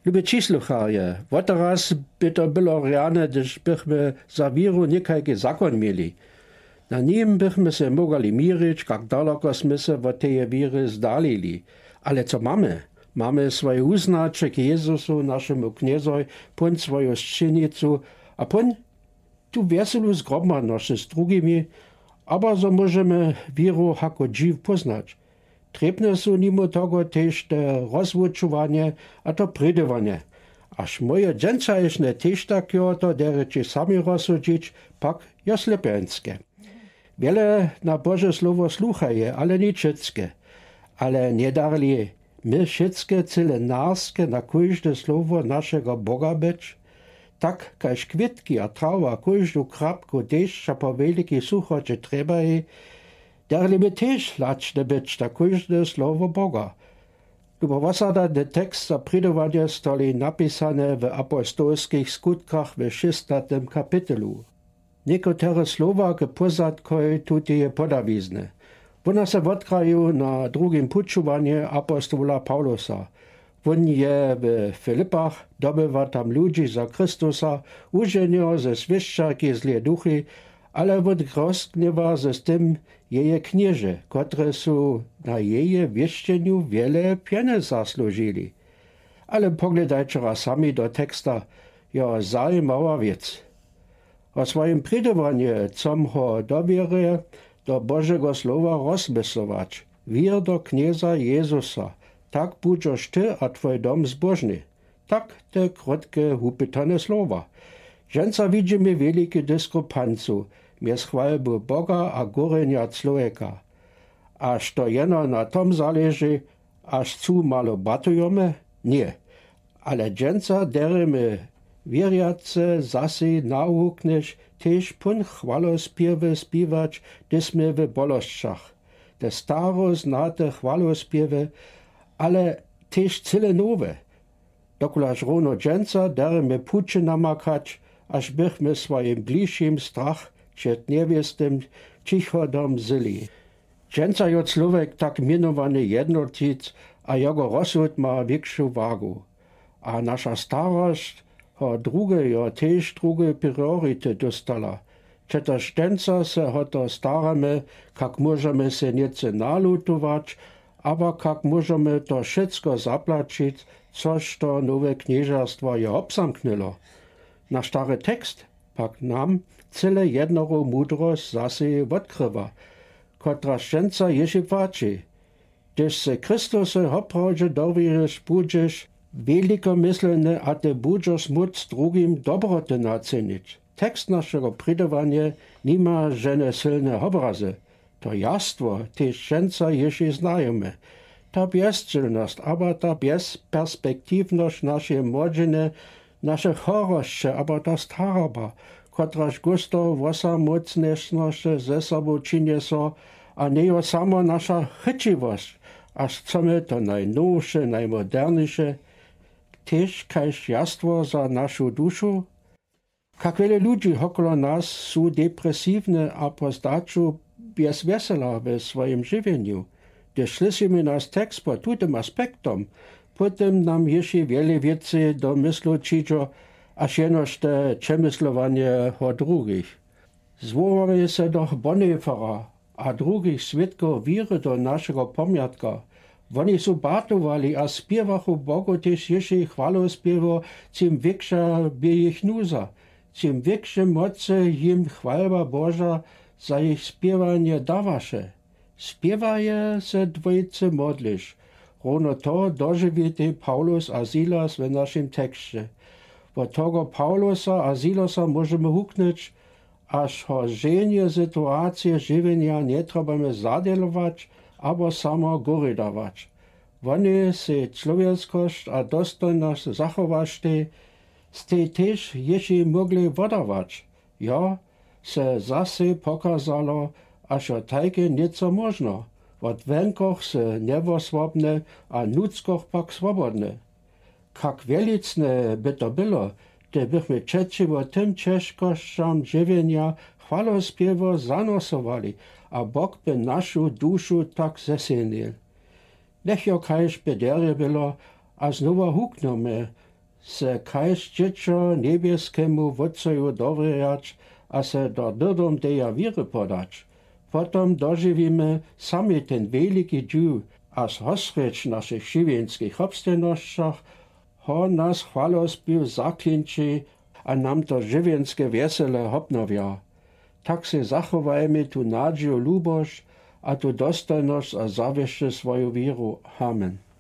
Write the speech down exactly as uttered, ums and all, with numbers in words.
Lubi přislucharje, woteraz by to było rjane, hdyž bychmy za wěru někajki zakon měli. Na nim bychmy se mógali měrić, kak daloko smy se wot teje wěry zdalili. Ale co mamy? Mamy swoje wuznaće k Jezusu, našemu Knjezoj, pón swoju sćěnicu a pón tu wjeselu zgromadznosć z drugimi, abo zo móžemy wěru hako dźiw póznać. Trěbne su nimo toho tež te rozwučowanje a to prědowanje. Až moje dźensajšne tež tak jo to derjeći sami rozsudźić, pak jo slepjańske. Wjele na Bože slowo sluchaje, ale ničecke. Ale njedarli my wšitke cyle narske na kóžde slowo našeho Boga być? Tak kaž kwětki a trawa kóždu krapku dešća po wjelikej suchoće trjebaji, darli my tež lačne być na kóžde slowo Boga. Lubo wosadany tekst za prědowanje stali napisane w apostolskich skutkach w šestnatym kapitelu. Někotre slowa k pózadkoj tuteje podawizny. Wóna se wotkraju na drugim pućowanje apostola Pawlusa. Wón je w Filipach, dobywa tam ludźi za Chrystusa, uženjeho ze swěšćarki złej duchi, ale wón rozgněwa z tym jeje knježe, kotrež su na jeje wěšćenju wjele pjenjez zasłužili. Ale pogledajće raz sami do teksta, jo, zajimała wěc. Wo swojim prědowanje chcom ho do wěry do Božego slowa rozmyslować. Wěr do Knjeza Jezusa, tak budźoš ty a twój dom zbóžny. Tak te krótke wupytane slowa. Dźensa widźimy wjeliki diskrepancu mjez chwalbu Boga a górjenja człowjeka. Až to jeno na tom zaleži, až cu malo batujome? Ně. Ale dźensa derjemy wěrjace zasej nawuknyć tež pón chwalospěwy spěwać, hdyž smy w bolosćach. Te staro znate chwalospěwy, ale tež cyle nowe. Dokulaž rowno dźensa derjemy puće namakać, až bychmy swojim bližim strach před njewěstnym čichodom wzyli. Dźensa jo człowjek tak mjenowany jednotic a jeho rozsud ma wětšu wagu. A naša starosć ho druge jo tež druge priority dóstała. Přetož dźensa se ho to staramy, kak móžemy se něce nalutować, abo kak móžemy to wšecko zaplaćic, což to nowe knježerstwo je wobzamknyło. Naš stary tekst pak nam cyle jednoru mudrosć zasej wotkrywa, kotraž dźensa jěši płaći. Hdyž se Chrystusowi woprawdźe dowěriš, budźeš wjelikomyslny a ty budźeš móc drugim dobroty nacynić. Tekst našeho prědowanja nima žene sylne wobrazy. To jastwo tež dźensa jěši znajemy. Ta bjezčelnosć abo ta bjezperspektiwnosć našeje młodźiny, naše chorosće abo ta staroba, kotraž gusto wosamócnješnosće ze sobu přinjeso, a njejo samo naša chytřiwosć, a chcemy to najnowše, najmoderniše, tež kaž jastwo za našu dušu? Kak wjele ludźi wokolo nas su depresiwne a po zdaću bjez wjesela we swojim žiwjenju. Hdyž słyšimy naš tekst pod tutym aspektom, potom nam jěši wjele wěcy do myslu přińdźo, až jenož te přemyslowanje wo drugich. Zwółamy so doch Bonhoeffera a drugich swědkow wěry do našeho pomjatka. Woni su batowali a spěwachu Bogu tež jěši chwalospěwo, čim wětša bě jich nuza, čim wětše mocy jim chwalba Boža za jich spěwanje dawaše. Spěwaje se dwójce modliš. Rowno to dožiwitej Pawlus a Silas w našim teksće. Wot toho Pawlusa a Silasa móžemy huknyć, až ho ženje situacije žiwjenja njetrjebamy zadźělować abo samo goridować. Woni sej čłowjeskosć a dostojnosć zachowaštej, stej tež jěši mógli wodawać. Jo, se zasej pokazalo, až jo tajke něco móžno, wot wonkoch se njewosłobne a nutřkoch pak swobodne. Kak wjelicne by to było, hdybychmy přećiwo tym ćežkosćam žiwjenja chwalospěwo zanosowali a Bóg by našu dušu tak zesylnił. Njech jo kaž by derje było, a znowa huknjemy se kaž dźěćo njebjeskemu wótcoju dowěrjać a se do dyrdom teja wěry podać. Potom dožiwimy sami ten wjeliki dźiw a zhosrjeć w našich žiwjenskich hobstajnosćach, ho nas chwalospěw zaklinči a nam to žiwjenske wjesele hobnowja. Tak sej zachowajmy tu nadźiju, lubosć a tu dostojnosć a zawěsće swoju wěru. Amen.